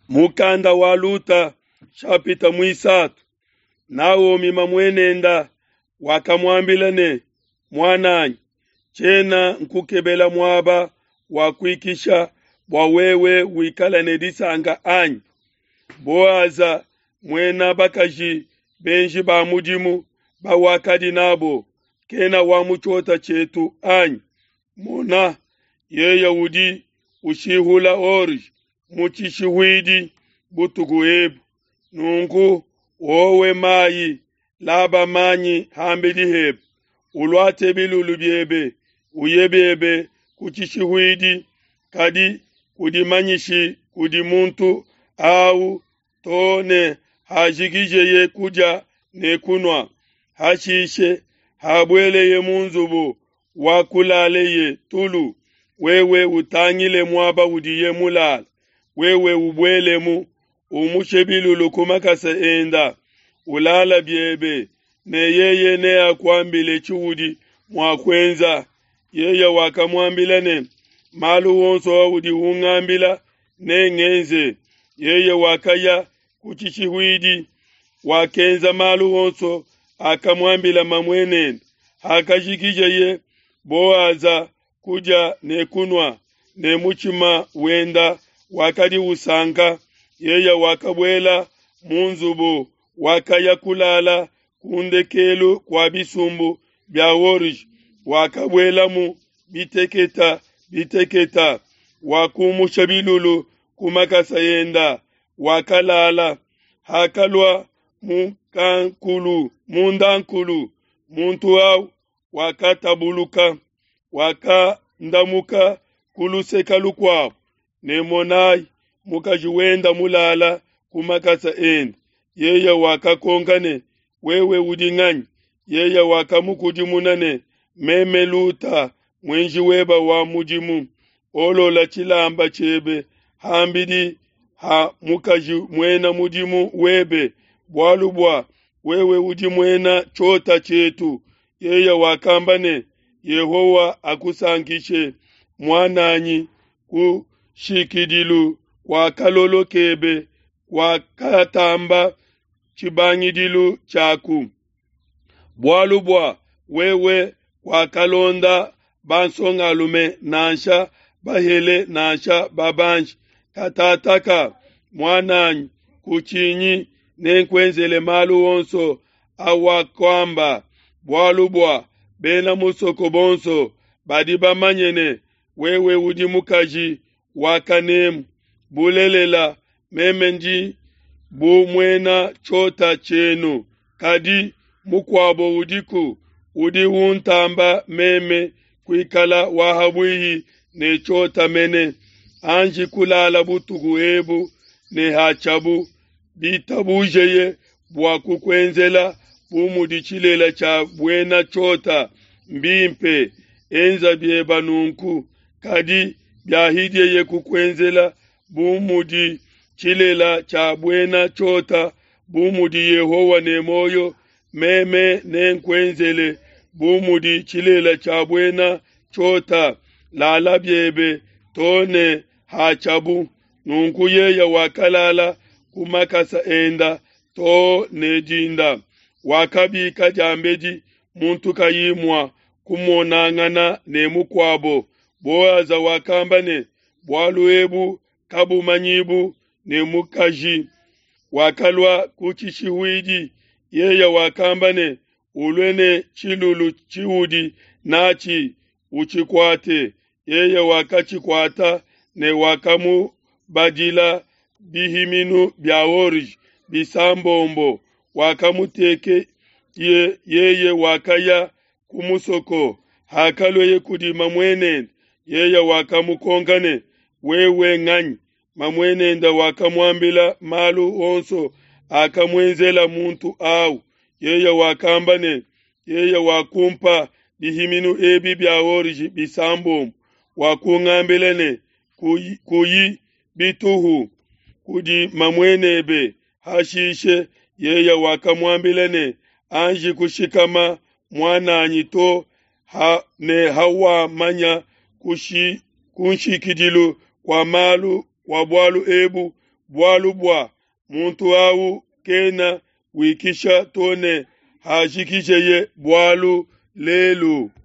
Mukanda wa Luta shapita muisatu. Naomi mamuenenda wakamuambila ne, muananyi, tshiena nkukebela muaba wa kuikisha bua wewe wikala ne disanka anyi? Boaza muena bakaji benji ba mudimu bawakadi nabo kena wa mu tshiota tshietu anyi? Mona, yeye udi ushihula orge mu tshishihuidi butuku ebu. Nunku wowe mayi, laba manyi hambidi hebe, uluate bilulu biebe, uye biebe ku tshishihuidi, kadi kudimanyishi kudi muntu au to ne hajikijeye kudia ne kunua. Hashishe habueleye mu nzubu wa kulaleye tulu, wewe utangile muaba udiye mulale, wewe ubuelemu, umushe bilulu ku makasa enda, ulala biebe, ne yeye neakuambile tshiudi mua kuenza. Yeye wakamuambila ne, malu onso audi ungambila nengenze. Yeye wakaya ku tshishihuidi, wakenza malu onso akamuambila mamuenende. Hakajikijeye Boaza kudia ne kunua, ne mutshima wenda wakadi usanka, yeye wakabuela mu nzubu, wakaya kulala ku ndekelu kua bisumbu bia orge, wakabuelamu biteketa biteketa, wakumusha bilulu ku makasa enda, wakalala. Hakalua mundankulu, muntu au wakatabuluka, wakandamuka ku luseke lukuabo, ne monayi, mukaji wenda mulala ku makasa ende. Yeye wakakonka ne, wewe udi nganyi? Yeye wakamukudimuna ne, meme Luta, muenji weba wa mudimu. Olola tshilamba tshiebe hambidi ha mukaji muena mudimu webe, bualu bua wewe udi muena tshiota tshietu. Yeye wakamba ne, Yehowa akusankishe, muananyi, ku nshikidilu kua kalolo kebe kuakatamba tshibangidilu tshiaku, bualu bua wewe kuakalonda bansongalume nansha bahele nansha babanji. Katataka, muananyi, kutshinyi, nenkuenzele malu onso awakuamba, bualu bua bena musoko bonso badi bamanye ne, wewe udi mukaji wa kanemu. Bulelela, meme ndi bu muena tshiota tshienu, kadi mukuabo udiku udi untamba meme kuikala wa habuihi ne tshiota mene. Anji kulala butuku ebu ne hatshiabu, bitabujeye bua kukuenzela bu mudi tshilela tshia buena tshiota, mbimpe, enza bieba nunku. Kadi biahidieye kukuenzela bu mudi tshilela tshia buena tshiota, bu mudi Yehowa ne muoyo, meme nenkuenzele bu mudi tshilela tshia buena tshiota. Lala biebe to ne hatshiabu. Nunku yeye wakalala ku makasa enda to ne dinda. Wakabika diambedi muntu kayi mua kumonangana ne mukuabo. Boaza wakamba ne, bualu ebu kabumanyibu ne mukaji. Wakalua ku tshishihuidi. Yeye wakamba ne, ulue ne tshilulu tshiudi natshi, utshikuate. Yeye wakatshikuata ne wakamubadila bihiminu bia orge bisambombo. Wakamuteke yeye wakaya ku musoko. Hakalueye kudi mamuenende, yeye wakamukonka ne, wewe nganyi? Mamuenende wakamuambila malu onso akamuenzela muntu au. Yeye wakamba ne, yeye wakumpa bihiminu ebi bia orge bisambombo, wakungambila ne, kuyi bituhu kudi mamuenebe. Hashishe yeye wakamuambila ne, anji kushikama muananyi to ne hawamanya ku nshikidilu kua malu kua bualu ebu, Bualu bua muntu au kena wikisha to ne hajikijeye bualu lelu.